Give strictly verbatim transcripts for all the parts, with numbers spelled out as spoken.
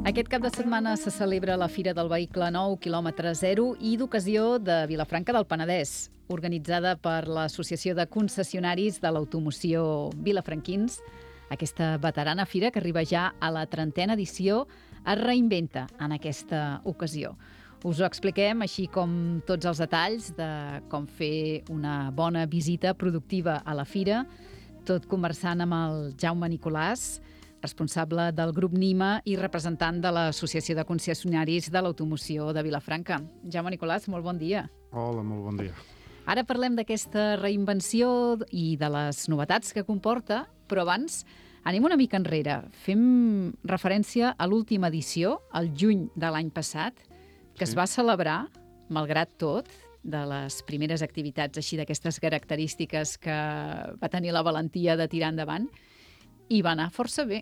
Aquest cap de setmana se celebra la Fira del Vehicle Nou, quilòmetre zero, i d'ocasió de Vilafranca del Penedès, organitzada per l'Associació de Concessionaris de l'Automoció Vilafranquins. Aquesta veterana fira, que arriba ja a la trentena edició, es reinventa en aquesta ocasió. Us ho expliquem, així com tots els detalls de com fer una bona visita productiva a la fira, tot conversant amb el Jaume Nicolàs, responsable del grup NIMA i representant de l'Associació de Concessionaris de l'Automoció de Vilafranca. Jaume Nicolàs, molt bon dia. Hola, molt bon dia. Ara parlem d'aquesta reinvenció i de les novetats que comporta, però abans anem una mica enrere. Fem referència a l'última edició, el juny de l'any passat, que sí. Es va celebrar, malgrat tot, de les primeres activitats així d'aquestes característiques que va tenir la valentia de tirar endavant, i va anar força bé.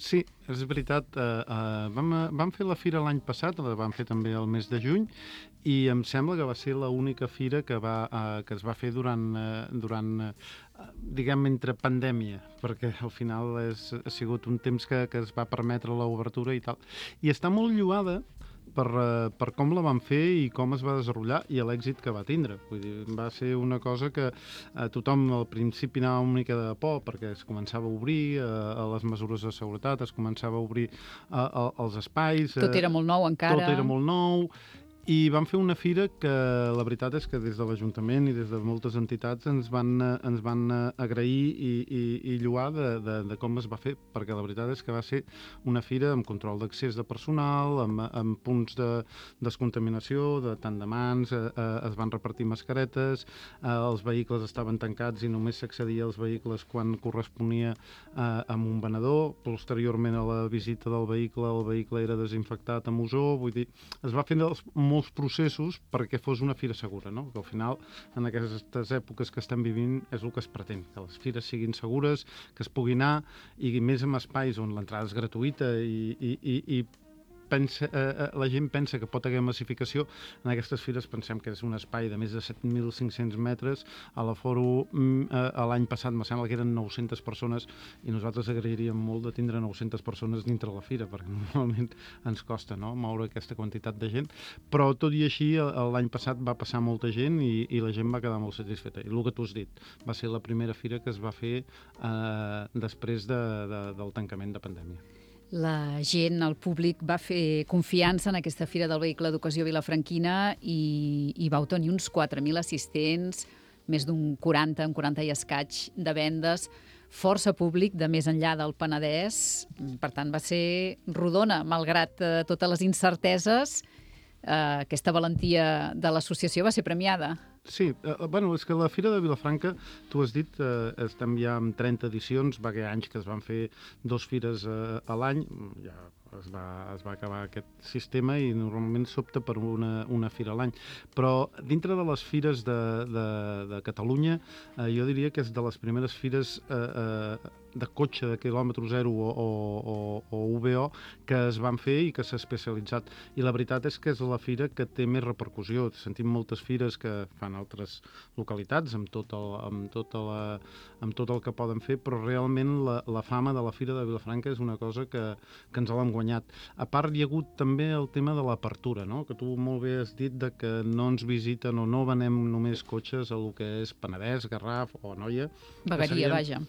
Sí, és veritat. Eh, eh, vam, vam fer la fira l'any passat, la vam fer també el mes de juny, i em sembla que va ser l'única fira que, va, eh, que es va fer durant, eh, durant eh, diguem, entre pandèmia, perquè al final és, ha sigut un temps que, que es va permetre l'obertura i tal. I està molt lloada per, uh, per com la van fer i com es va desenvolupar i l'èxit que va tindre. Vull dir, va ser una cosa que uh, tothom al principi anava una mica de por perquè es començava a obrir uh, a les mesures de seguretat, es començava a obrir uh, uh, els espais. Tot era molt nou encara. Tot era molt nou. I vam fer una fira que la veritat és que des de l'Ajuntament i des de moltes entitats ens van, ens van agrair i, i, i lloar de, de, de com es va fer, perquè la veritat és que va ser una fira amb control d'accés de personal, amb, amb punts de descontaminació, de tant de mans, eh, eh, es van repartir mascaretes, eh, els vehicles estaven tancats i només s'accedia als vehicles quan corresponia eh, amb un venedor. Posteriorment a la visita del vehicle, el vehicle era desinfectat amb ozó, vull dir, es va fer dels molts processos perquè fos una fira segura, no? Que al final, en aquestes èpoques que estem vivint, és el que es pretén, que les fires siguin segures, que es pugui anar, i més en espais on l'entrada és gratuïta i, i, i, i pensa, eh, la gent pensa que pot haver massificació. En aquestes fires pensem que és un espai de més de set mil cinc-cents metres. A la Foro eh, l'any passat me sembla que eren nou-centes persones i nosaltres agrairíem molt de tindre nou-centes persones dintre la fira, perquè normalment ens costa, no?, moure aquesta quantitat de gent, però tot i així l'any passat va passar molta gent i, i la gent va quedar molt satisfeta. I el que tu has dit, va ser la primera fira que es va fer eh, després de, de, del tancament de pandèmia. La gent, el públic, va fer confiança en aquesta Fira del Vehicle d'Ocasió vilafranquina i, i vau tenir uns quatre mil assistents, més d'un quaranta, un quaranta i escaig de vendes, força públic de més enllà del Penedès. Per tant, va ser rodona, malgrat eh, totes les incerteses. Eh, aquesta valentia de l'associació va ser premiada. Sí, eh, bueno, és que la Fira de Vilafranca, tu has dit, eh, estem ja amb trenta edicions, va haver anys que es van fer dos fires eh, a l'any, ja es va, es va acabar aquest sistema i normalment s'opta per una, una fira a l'any. Però dintre de les fires de, de, de Catalunya, eh, jo diria que és de les primeres fires eh, eh, de cotxe de quilòmetre zero o, o, o, o U V O que es van fer i que s'ha especialitzat. I la veritat és que és la fira que té més repercussió. Sentim moltes fires que fan altres localitats amb tot el, amb tota la, amb tot el que poden fer, però realment la, la fama de la Fira de Vilafranca és una cosa que, que ens l'hem guanyat. A part, hi ha hagut també el tema de l'apertura, no?, que tu molt bé has dit de que no ens visiten o no venem només cotxes a lo que és Penedès, Garraf o Anoia. Vegueria, vaja.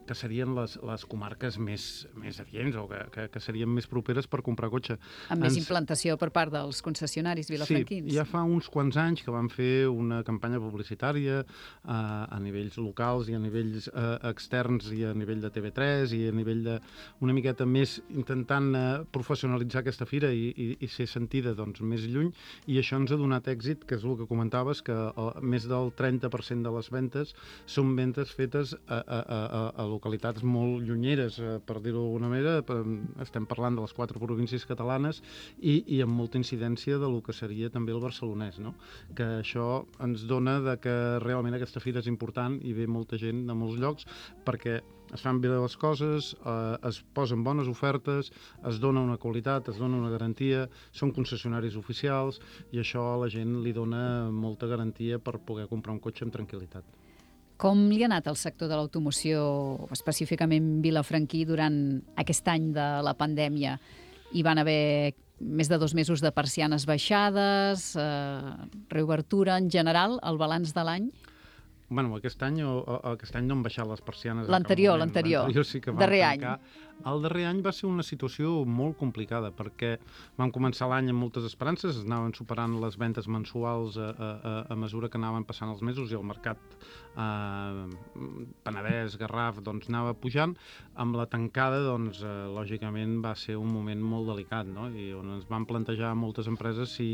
Que serien les, les comarques més, més adients o que, que, que serien més properes per comprar cotxe. Amb més Ens... implantació per part dels concessionaris vilafranquins. Sí, ja fa uns quants anys que vam fer una campanya publicitària eh, a nivells locals i a nivells eh, externs i a nivell de T V tres i a nivell de una miqueta més intentant eh, professionalitzar aquesta fira i, i, i ser sentida doncs, més lluny, i això ens ha donat èxit, que és el que comentaves, que el, més del trenta per cent de les ventes són ventes fetes a, a, a, a localitats molt llunyeres, eh, per dir-ho d'alguna manera. Estem parlant de les quatre províncies catalanes i, i amb molta incidència de lo que seria també el barcelonès, no? Que això ens dona de que realment aquesta fira és important i ve molta gent de molts llocs perquè es fan bé les coses, eh, es posen bones ofertes, es dona una qualitat, es dona una garantia, són concessionaris oficials i això a la gent li dona molta garantia per poder comprar un cotxe amb tranquil·litat. Com li ha anat al sector de l'automoció, específicament vilafranquí, durant aquest any de la pandèmia? Hi van haver més de dos mesos de persianes baixades, eh, reobertura en general, el balanç de l'any? Bueno, aquest any, o, o, aquest any no han baixat les persianes. L'anterior, l'anterior. L'anterior sí que vam darrer tancar. Any. El darrer any va ser una situació molt complicada, perquè vam començar l'any amb moltes esperances, es anaven superant les ventes mensuals a, a, a mesura que anaven passant els mesos i el mercat eh, Penedès, Garraf, doncs anava pujant. Amb la tancada, doncs, eh, lògicament va ser un moment molt delicat, no? I on ens van plantejar moltes empreses si,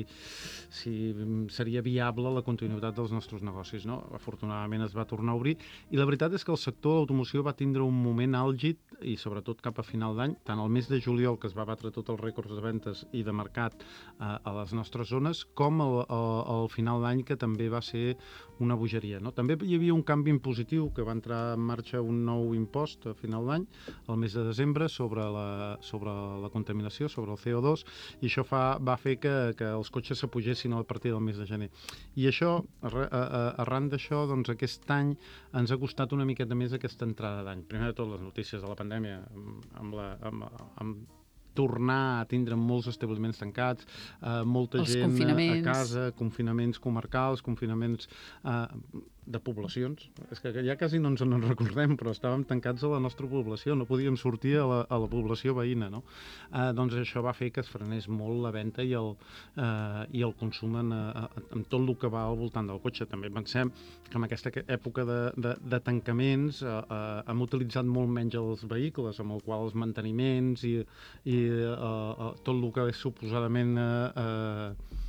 si seria viable la continuïtat dels nostres negocis, no? Afortunadament es va tornar a obrir i la veritat és que el sector de l'automoció va tindre un moment àlgid i sobretot cap a final d'any, tant el mes de juliol, que es va batre tots els rècords de ventes i de mercat eh, a les nostres zones, com el, el, el final d'any, que també va ser una bogeria, no? També hi havia un canvi impositiu, que va entrar en marxa un nou impost a final d'any, al mes de desembre, sobre la, sobre la contaminació, sobre el C O dos, i això fa, va fer que, que els cotxes s'apugessin a partir del mes de gener. I això, arran d'això, doncs aquest any ens ha costat una miqueta més aquesta entrada d'any. Primer de tot, les notícies de la pandèmia, amb, la, amb, amb tornar a tindre molts establiments tancats, eh, molta Els gent a casa, confinaments comarcals, confinaments eh, de poblacions. És que ja quasi no ens en recordem, però estàvem tancats a la nostra població, no podíem sortir a la, a la població veïna, no? Eh, doncs això va fer que es frenés molt la venda i el, eh, i el consum en, en tot el que va al voltant del cotxe. També pensem que en aquesta època de, de, de tancaments eh, eh, hem utilitzat molt menys els vehicles, amb el qual els manteniments i, i eh, eh, tot el que és suposadament eh, eh,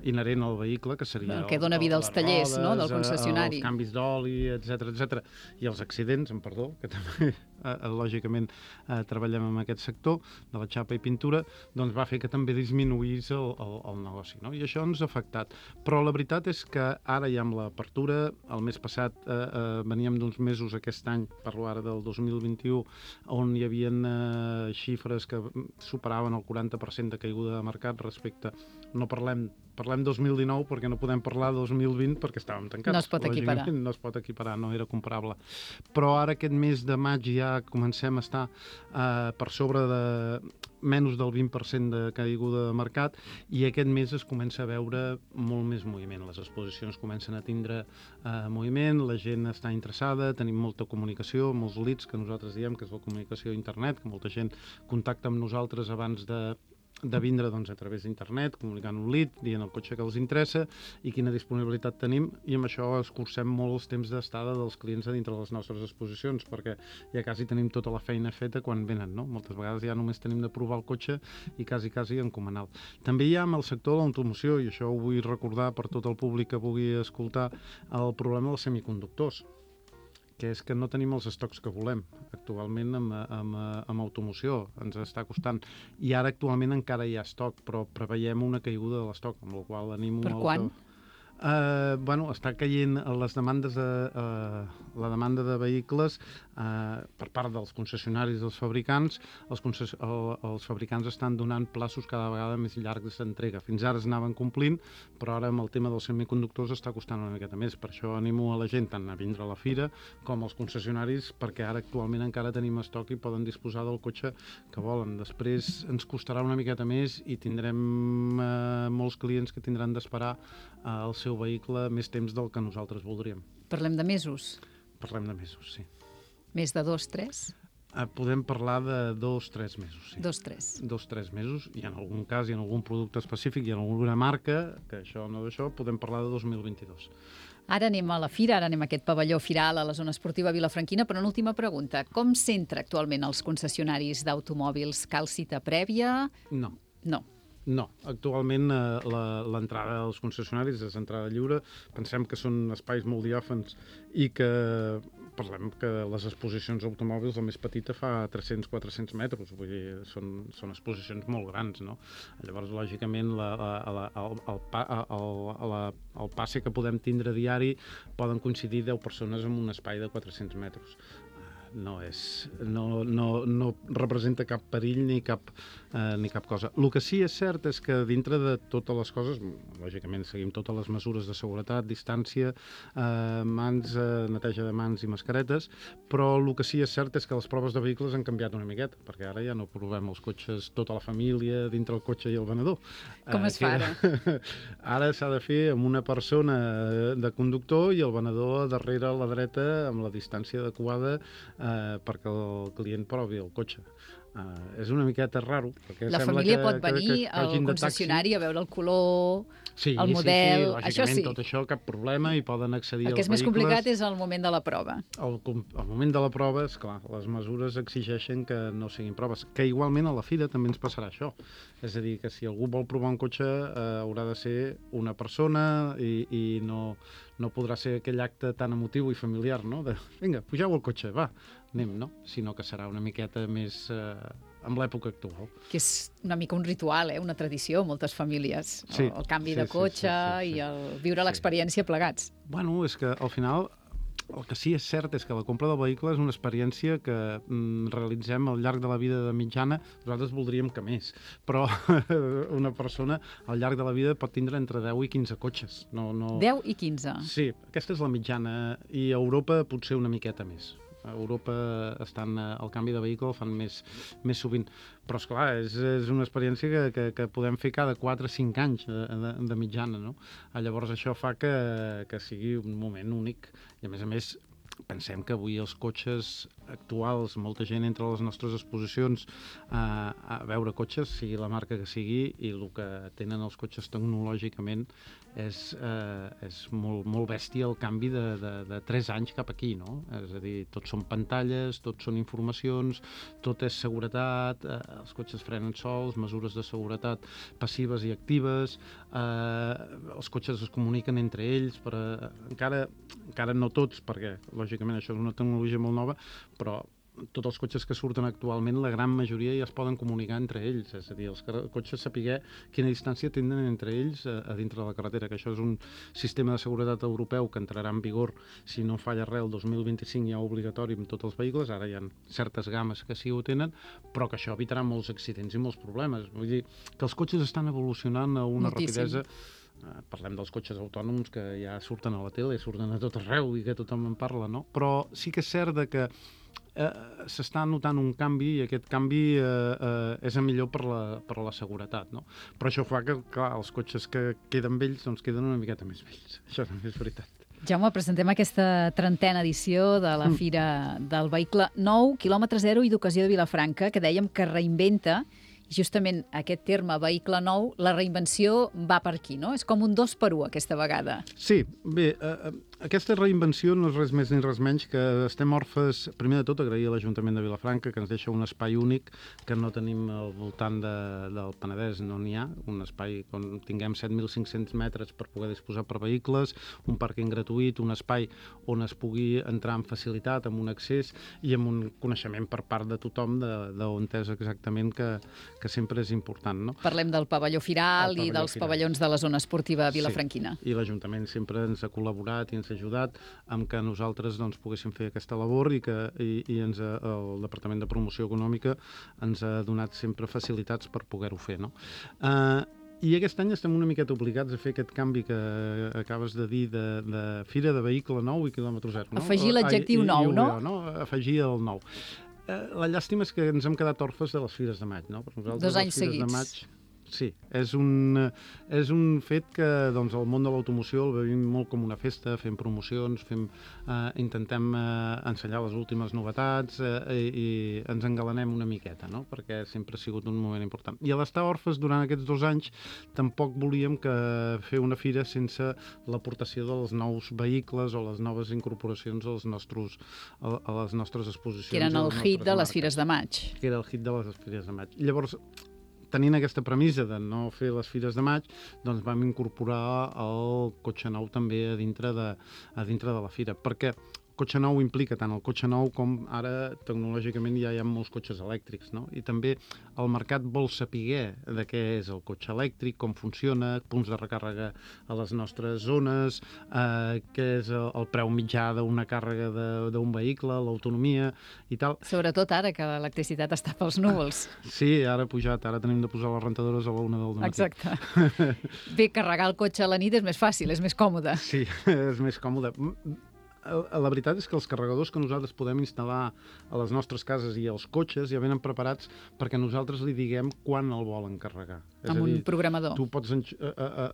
inherent al vehicle, que seria el que dona vida als tallers, rodes, no?, del concessionari. Els canvis d'oli, etcètera, etcètera, i els accidents, en perdó, que també eh, lògicament eh, treballem en aquest sector de la xapa i pintura, doncs va fer que també disminuís el, el, el negoci, no? I això ens ha afectat. Però la veritat és que ara ja amb l'apertura, el mes passat eh, eh, veníem d'uns mesos aquest any, parlo ara del dos mil vint-i-u, on hi havia eh, xifres que superaven el quaranta per cent de caiguda de mercat respecte, no parlem Parlem dos mil dinou perquè no podem parlar dos mil vint perquè estàvem tancats. No es pot equiparar. No es pot equiparar, no era comparable. Però ara aquest mes de maig ja comencem a estar eh, per sobre de menys del vint per cent de caiguda de mercat i aquest mes es comença a veure molt més moviment. Les exposicions comencen a tindre eh, moviment, la gent està interessada, tenim molta comunicació, molts leads que nosaltres diem que és la comunicació a internet, que molta gent contacta amb nosaltres abans de de vindre doncs, a través d'internet, comunicant un lead, dient el cotxe que els interessa i quina disponibilitat tenim, i amb això escurcem molt els temps d'estada dels clients a dintre de les nostres exposicions, perquè ja quasi tenim tota la feina feta quan venen, no? Moltes vegades ja només tenim de provar el cotxe i quasi, quasi encomanar-lo. També hi ha amb el sector de l'automoció, i això ho vull recordar per tot el públic que pugui escoltar, el problema dels semiconductors, que és que no tenim els estocs que volem actualment amb, amb, amb automoció, ens està costant. I ara actualment encara hi ha estoc, però preveiem una caiguda de l'estoc, amb la qual animo... Per quan? Que... Uh, bueno, està caient les demandes de, uh, la demanda de vehicles uh, per part dels concessionaris dels fabricants. Els, concess el, els fabricants estan donant plaços cada vegada més llargs d'entrega. Fins ara es anaven complint, però ara amb el tema dels semiconductors està costant una miqueta més. Per això animo a la gent tant a vindre a la fira com als concessionaris, perquè ara actualment encara tenim estoc i poden disposar del cotxe que volen. Després ens costarà una miqueta més i tindrem uh, molts clients que tindran d'esperar uh, el seu vehicle més temps del que nosaltres voldríem. Parlem de mesos? Parlem de mesos, sí. Més de dos, tres? Eh, podem parlar de dos, tres mesos, sí. Dos, tres. Dos, tres mesos, i en algun cas, i en algun producte específic, i en alguna marca, que això no d'això, podem parlar de dos mil vint-i-dos. Ara anem a la fira, ara anem a aquest pavelló firal a la zona esportiva Vilafranquina, però una última pregunta. Com s'entra actualment als concessionaris d'automòbils? Cal cita prèvia? No. No. No, actualment eh, l'entrada als concessionaris és entrada lliure. Pensem que són espais molt diàfans i que parlem que les exposicions d'automòbils, la més petita fa tres-cents a quatre-cents metres, vull dir, són, són exposicions molt grans, no? Llavors, lògicament, la, la, el, el, el, el, el passe que podem tindre diari poden coincidir deu persones en un espai de quatre-cents metres. no és, no, no, no representa cap perill ni cap, eh, ni cap cosa. El que sí és cert és que dintre de totes les coses, lògicament seguim totes les mesures de seguretat, distància, eh, mans, eh, neteja de mans i mascaretes, però el que sí és cert és que les proves de vehicles han canviat una miqueta, perquè ara ja no provem els cotxes, tota la família dintre el cotxe i el venedor. Com eh, es fa ara? Ara s'ha de fer amb una persona de conductor i el venedor darrere a la dreta amb la distància adequada eh, perquè el client provi el cotxe. Uh, és una miqueta raro. Perquè la sembla família que, pot venir que, que, que al concessionari a veure el color, sí, el model, sí, sí, això sí. Tot això, cap problema, i poden accedir el que als és més vehicles. complicat és el moment de la prova. El, el moment de la prova, és clar, les mesures exigeixen que no siguin proves, que igualment a la fira també ens passarà això. És a dir, que si algú vol provar un cotxe eh, haurà de ser una persona i, i no, no podrà ser aquell acte tan emotiu i familiar, no? De, vinga, pugeu al cotxe, va, anem, no? Sinó que serà una miqueta més... Eh, amb l'època actual. Que és una mica un ritual, eh? Una tradició, moltes famílies. Sí, el, el canvi sí, de cotxe sí, sí, sí, sí. i el viure sí. l'experiència plegats. Bueno, és que al final el que sí és cert és que la compra del vehicle és una experiència que mm, realitzem al llarg de la vida de mitjana. Nosaltres voldríem que més, però una persona al llarg de la vida pot tindre entre deu i quinze cotxes. No, no... deu i quinze? Sí, aquesta és la mitjana, i a Europa potser una miqueta més. A Europa estan, el canvi de vehicle el fan més, més sovint. Però, esclar, és, és una experiència que, que, que podem fer cada quatre o cinc anys de, de, de mitjana, no? Llavors això fa que, que sigui un moment únic. I, a més a més, pensem que avui els cotxes actuals, molta gent entra a les nostres exposicions a, a veure cotxes, sigui la marca que sigui, i el que tenen els cotxes tecnològicament és, eh, és molt, molt bèstia el canvi de, de, de tres anys cap aquí, no? És a dir, tot són pantalles, tot són informacions, tot és seguretat, eh, els cotxes frenen sols, mesures de seguretat passives i actives, eh, els cotxes es comuniquen entre ells, però encara, encara no tots, perquè lògicament això és una tecnologia molt nova, però tots els cotxes que surten actualment, la gran majoria ja es poden comunicar entre ells, és a dir, els cotxes saber quina distància tenen entre ells a, a dintre de la carretera, que això és un sistema de seguretat europeu que entrarà en vigor, si no falla res, el dos mil vint-i-cinc ja obligatori amb tots els vehicles. Ara hi ha certes games que sí ho tenen, però que això evitarà molts accidents i molts problemes. Vull dir que els cotxes estan evolucionant a una Moltíssim. rapidesa. Parlem dels cotxes autònoms que ja surten a la tele, surten a tot arreu i que tothom en parla, no? Però sí que és cert de que eh, s'està notant un canvi, i aquest canvi eh, eh, és el millor per la, per la seguretat, no? Però això fa que, clar, els cotxes que queden vells doncs queden una miqueta més vells. Això també és veritat. Jaume, presentem aquesta trentena edició de la Fira del Vehicle Nou, quilòmetre zero i d'ocasió de Vilafranca, que dèiem que reinventa. Justament aquest terme vehicle nou, la reinvenció va per aquí, no? És com un dos per u aquesta vegada. Sí, bé, eh, aquesta reinvenció no és res més ni res menys que estem orfes, primer de tot agrair a l'Ajuntament de Vilafranca, que ens deixa un espai únic que no tenim al voltant de, del Penedès, no n'hi ha, un espai on tinguem set mil cinc-cents metres per poder disposar per vehicles, un pàrquing gratuït, un espai on es pugui entrar amb facilitat, amb un accés i amb un coneixement per part de tothom d'on és exactament que que sempre és important, no? Parlem del pavelló Firal pavelló i dels Firal. pavellons de la zona esportiva vilafranquina. Sí, i l'Ajuntament sempre ens ha col·laborat i ens ha ajudat amb que nosaltres doncs, poguéssim fer aquesta labor i que i, i ens ha, el Departament de Promoció Econòmica ens ha donat sempre facilitats per poder-ho fer, no? Uh, I aquest any estem una miqueta obligats a fer aquest canvi que acabes de dir de, de Fira de Vehicle Nou i quilòmetre zero, no? Afegir l'adjectiu nou, no? no? Afegir el nou. La llàstima és que ens hem quedat orfes de les Fires de Maig, no? Per nosaltres, Dos anys les Fires seguits. de Maig, sí, és un, és un fet que doncs, el món de l'automoció el vivim molt com una festa, fem promocions, fem, eh, intentem eh, ensenyar les últimes novetats eh, i, i ens engalanem una miqueta, no? Perquè sempre ha sigut un moment important. I a l'estar orfes durant aquests dos anys tampoc volíem que fer una fira sense l'aportació dels nous vehicles o les noves incorporacions als nostres, a, a les nostres exposicions. Que eren el hit de les Fires de Maig. Que era el hit de les Fires de Maig. Llavors, tenint aquesta premissa de no fer les Fires de Maig, doncs vam incorporar el cotxe nou també a dintre de, a dintre de la fira, perquè cotxe nou implica tant el cotxe nou com ara tecnològicament ja hi ha molts cotxes elèctrics, no? I també el mercat vol saber de què és el cotxe elèctric, com funciona, punts de recàrrega a les nostres zones, eh, què és el, el preu mitjà d'una càrrega d'un vehicle, l'autonomia i tal. Sobretot ara que l'electricitat està pels núvols. Sí, ara ha pujat, ara tenim de posar les rentadores a la una del matí. Exacte. Bé, carregar el cotxe a la nit és més fàcil, és més còmode. Sí, és més còmode. La veritat és que els carregadors que nosaltres podem instal·lar a les nostres cases i als cotxes ja venen preparats perquè nosaltres li diguem quan el volen carregar. És amb a dir, un programador. Tu pots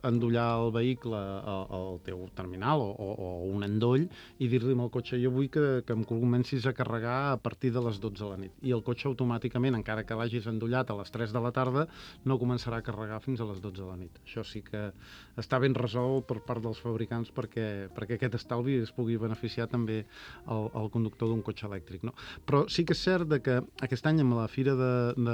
endollar el vehicle al teu terminal o, o, o un endoll i dir-li al cotxe jo vull que, que em comencis a carregar a partir de les dotze de la nit. I el cotxe automàticament, encara que l'hagis endollat a les tres de la tarda, no començarà a carregar fins a les dotze de la nit. Això sí que està ben resolt per part dels fabricants perquè, perquè aquest estalvi es pugui beneficiar també el, el conductor d'un cotxe elèctric, no? Però sí que és cert de que aquest any amb la fira de, de,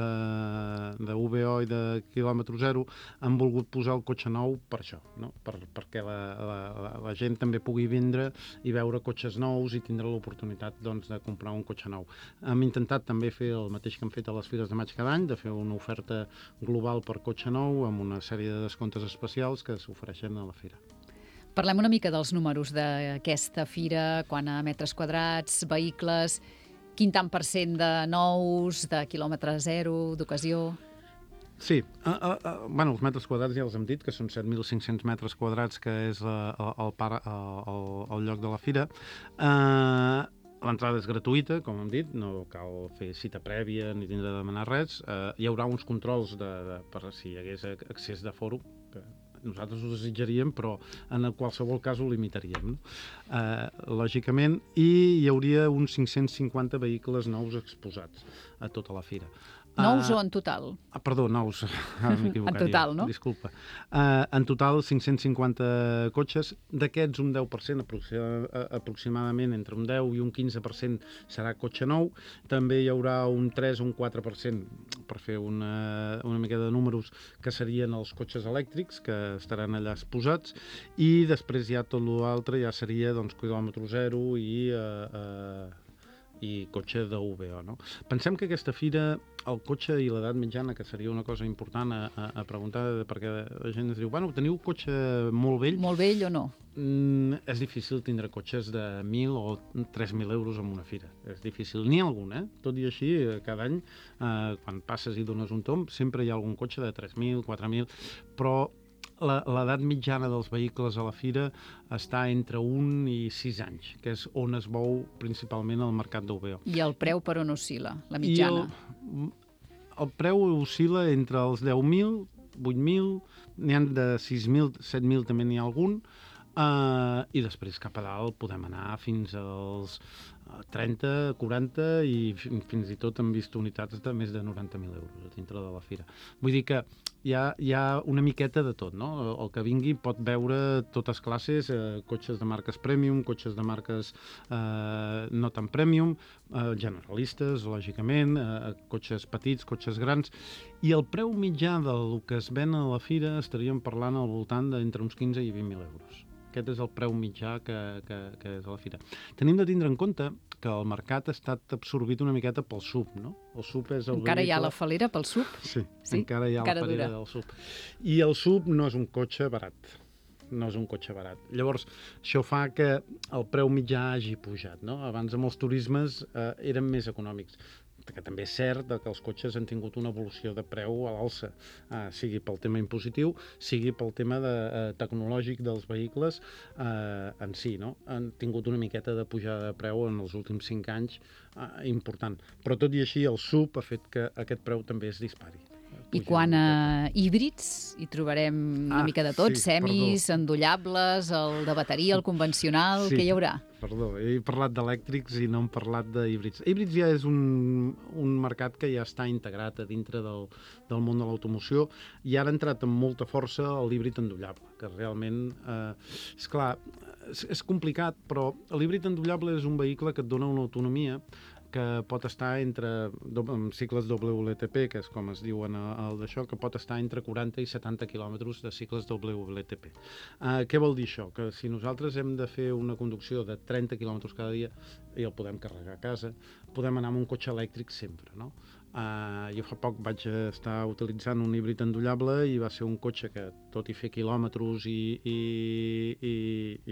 de U B O i de quilòmetre zero han volgut posar el cotxe nou per això, no? per, perquè la, la, la gent també pugui vindre i veure cotxes nous i tindre l'oportunitat doncs, de comprar un cotxe nou. Hem intentat també fer el mateix que hem fet a les fires de maig cada any, de fer una oferta global per cotxe nou amb una sèrie de descomptes especials que s'ofereixen a la fira. Parlem una mica dels números d'aquesta fira, quant a metres quadrats, vehicles, quin tant per cent de nous, de quilòmetre zero, d'ocasió... Sí, uh, uh, uh, bueno, els metres quadrats ja els hem dit, que són set mil cinc-cents metres quadrats, que és uh, el, par, uh, el, el lloc de la fira. Uh, L'entrada és gratuïta, com hem dit, no cal fer cita prèvia ni tindre de demanar res. Uh, hi haurà uns controls de, de, per si hi hagués accés de foro, que nosaltres ho desitjaríem, però en qualsevol cas ho limitaríem, no? Uh, lògicament, i hi hauria uns cinc-cents cinquanta vehicles nous exposats a tota la fira. Nous uh, o en total? Ah, perdó, nous. Ah, en total, no? Disculpa. Uh, en total, cinc-cents cinquanta cotxes. D'aquests, un deu per cent, aproximadament entre un deu i un quinze per cent serà cotxe nou. També hi haurà un tres o un quatre per cent, per fer una, una mica de números, que serien els cotxes elèctrics, que estaran allà exposats, i després ja tot l'altre ja seria doncs, quilòmetre zero i... Uh, uh, i cotxe d'U B O, no? Pensem que aquesta fira, el cotxe i l'edat mitjana, que seria una cosa important a, a, a preguntar, perquè la gent ens diu, bueno, teniu cotxe molt vell? Molt vell o no? Mm, és difícil tindre cotxes de mil o tres mil euros en una fira. És difícil. N'hi ha algun, eh? Tot i així, cada any, eh, quan passes i dones un tomb, sempre hi ha algun cotxe de tres mil, quatre mil, però l'edat mitjana dels vehicles a la fira està entre un i sis anys, que és on es mou principalment el mercat d'U B O. I el preu per on oscil·la, la mitjana? I el, el preu oscil·la entre els deu mil, vuit mil, n'hi ha de sis mil, set mil també n'hi ha algun, uh, i després cap a dalt podem anar fins als trenta, quaranta i fins i tot hem vist unitats de més de noranta mil euros a dintre de la fira. Vull dir que hi ha, hi ha una miqueta de tot, no? El que vingui pot veure totes classes, eh, cotxes de marques premium, cotxes de marques eh, no tan premium, eh, generalistes, lògicament, eh, cotxes petits, cotxes grans, i el preu mitjà del que es ven a la fira estaríem parlant al voltant d'entre uns quinze i vint mil euros. Aquest és el preu mitjà que, que, que és a la fira. Tenim de tindre en compte que el mercat ha estat absorbit una miqueta pel S U V, no? El S U V és el encara vehicle... hi ha la falera pel S U V? Sí, sí? encara hi ha encara la falera dura. del S U V. I el S U V no és un cotxe barat. No és un cotxe barat. Llavors, això fa que el preu mitjà hagi pujat, no? Abans amb els turismes eh, eren més econòmics, que també és cert que els cotxes han tingut una evolució de preu a l'alça, eh, sigui pel tema impositiu, sigui pel tema de, eh, tecnològic dels vehicles eh, en si, no? Han tingut una miqueta de pujada de preu en els últims cinc anys eh, important. Però tot i així el S U V ha fet que aquest preu també es dispari. I quan a híbrids hi trobarem una ah, mica de tot, sí, semis, perdó. endollables, el de bateria, el convencional, sí, què hi haurà? Perdó, he parlat d'elèctrics i no hem parlat de híbrids. Híbrids ja és un, un mercat que ja està integrat a dintre del, del món de l'automoció i ara ha entrat amb molta força l'híbrid endollable, que realment, eh, és clar, és, és complicat, però l'híbrid endollable és un vehicle que et dona una autonomia que pot estar entre, amb cicles W L T P, que és com es diuen el d'això, que pot estar entre quaranta i setanta quilòmetres de cicles W L T P. Uh, què vol dir això? Que si nosaltres hem de fer una conducció de trenta quilòmetres cada dia i el podem carregar a casa, podem anar amb un cotxe elèctric sempre, no? Uh, jo fa poc vaig estar utilitzant un híbrid endollable i va ser un cotxe que, tot i fer quilòmetres i, i, i,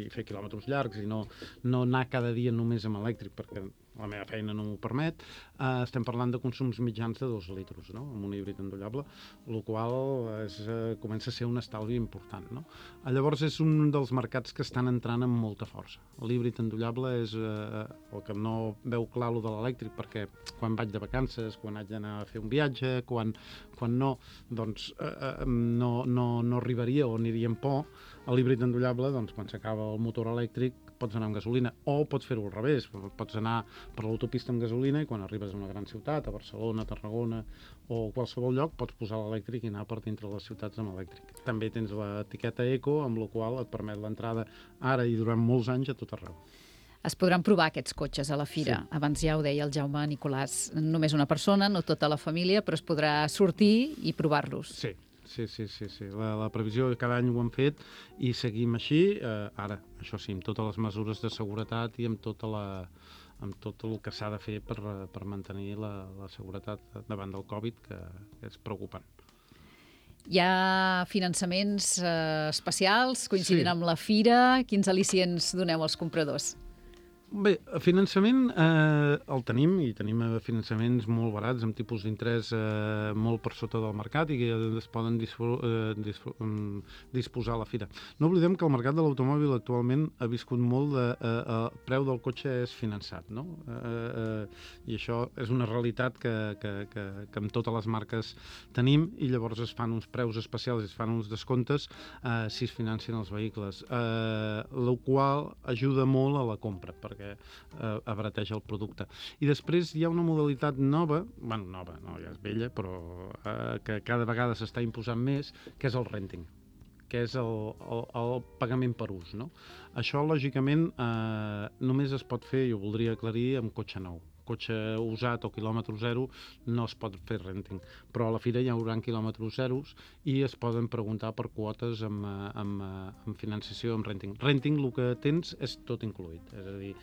i fer quilòmetres llargs i no, no anar cada dia només amb elèctric, perquè la meva feina no m'ho permet, uh, estem parlant de consums mitjans de dos litres, no?, amb un híbrid endollable, el qual és, uh, comença a ser un estalvi important, no? Uh, llavors és un dels mercats que estan entrant amb molta força. L'híbrid endollable és uh, el que no veu clar lo de l'elèctric, perquè quan vaig de vacances, quan haig d'anar a fer un viatge, quan, quan no, doncs uh, no, no, no arribaria o aniria amb por. A l'híbrid endollable, doncs, quan s'acaba el motor elèctric, pots anar amb gasolina, o pots fer-ho al revés, pots anar per l'autopista amb gasolina i quan arribes a una gran ciutat, a Barcelona, a Tarragona o qualsevol lloc, pots posar l'elèctric i anar per dintre les ciutats amb elèctric. També tens l'etiqueta Eco, amb la qual et permet l'entrada ara i durant molts anys a tot arreu. Es podran provar aquests cotxes a la fira. Sí. Abans ja ho deia el Jaume Nicolàs, només una persona, no tota la família, però es podrà sortir i provar-los. Sí. Sí, sí, sí, sí. La, la previsió cada any ho hem fet i seguim així, eh, ara, això sí, amb totes les mesures de seguretat i amb, tota la, amb tot el que s'ha de fer per, per mantenir la, la seguretat davant del Covid, que és preocupant. Hi ha finançaments eh, especials coincidint Sí. amb la fira. Quins al·licients doneu als compradors? Bé, finançament eh, el tenim, i tenim finançaments molt barats, amb tipus d'interès eh, molt per sota del mercat i que es poden dispo, eh, dispo, um, disposar a la fira. No oblidem que el mercat de l'automòbil actualment ha viscut molt de... Eh, el preu del cotxe és finançat, no? Eh, eh, I això és una realitat que, que, que, que amb totes les marques tenim, i llavors es fan uns preus especials, es fan uns descomptes eh, si es financen els vehicles, eh, el qual ajuda molt a la compra, perquè perquè eh, abarateja el producte. I després hi ha una modalitat nova, bueno, nova, no, ja és vella, però eh, que cada vegada s'està imposant més, que és el renting, que és el, el, el pagament per ús, no? Això, lògicament, eh, només es pot fer, i ho voldria aclarir, amb cotxe nou. Cotxe usat o quilòmetre zero no es pot fer renting, però a la fira hi haurà quilòmetres zeros i es poden preguntar per quotes amb, amb, amb financiació, amb renting. Renting, el que tens és tot incluït, és a dir,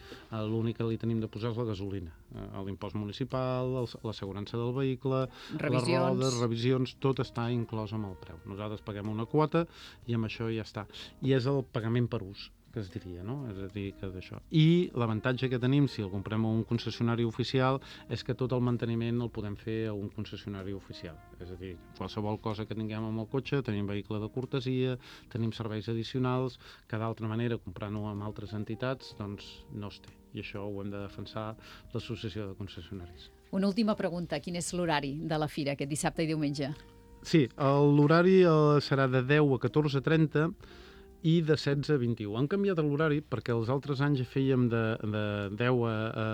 l'únic que li tenim de posar és la gasolina, l'impost municipal, l'assegurança del vehicle, revisions. Les rodes, revisions, tot està inclòs amb el preu. Nosaltres paguem una quota i amb això ja està. I és el pagament per ús, que es diria, no? És a dir, que d'això. I l'avantatge que tenim, si el comprem a un concessionari oficial, és que tot el manteniment el podem fer a un concessionari oficial. És a dir, qualsevol cosa que tinguem amb el cotxe, tenim vehicle de cortesia, tenim serveis addicionals, que d'altra manera, comprant-ho amb altres entitats, doncs no es té. I això ho hem de defensar l'Associació de Concessionaris. Una última pregunta. Quin és l'horari de la fira, aquest dissabte i diumenge? Sí, l'horari serà de deu a catorze trenta, i de setze a vint-i-u. Han canviat l'horari perquè els altres anys fèiem de, de deu a, a,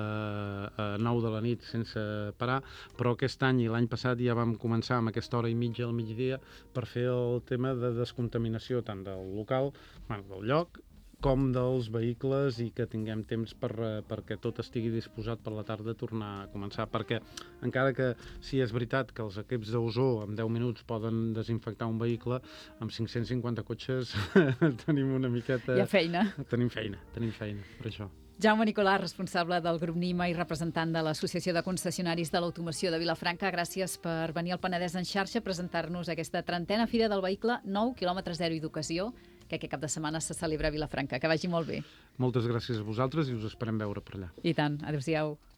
a nou de la nit sense parar, però aquest any i l'any passat ja vam començar amb aquesta hora i mitja al migdia per fer el tema de descontaminació tant del local, bueno, del lloc, com dels vehicles, i que tinguem temps per, perquè tot estigui disposat per la tarda a tornar a començar, perquè encara que sí és veritat que els equips d'ozó en deu minuts poden desinfectar un vehicle, amb cinc-cents cinquanta cotxes tenim una miqueta... Hi ha feina. Tenim feina, tenim feina, per això. Jaume Nicolàs, responsable del grup Nima i representant de l'Associació de Concessionaris de l'Automoció de Vilafranca, gràcies per venir al Penedès en xarxa a presentar-nos aquesta trentena Fira del Vehicle nou, quilòmetre zero i d'ocasió, que aquest cap de setmana se celebra a Vilafranca. Que vagi molt bé. Moltes gràcies a vosaltres i us esperem veure per allà. I tant. Adéu-siau.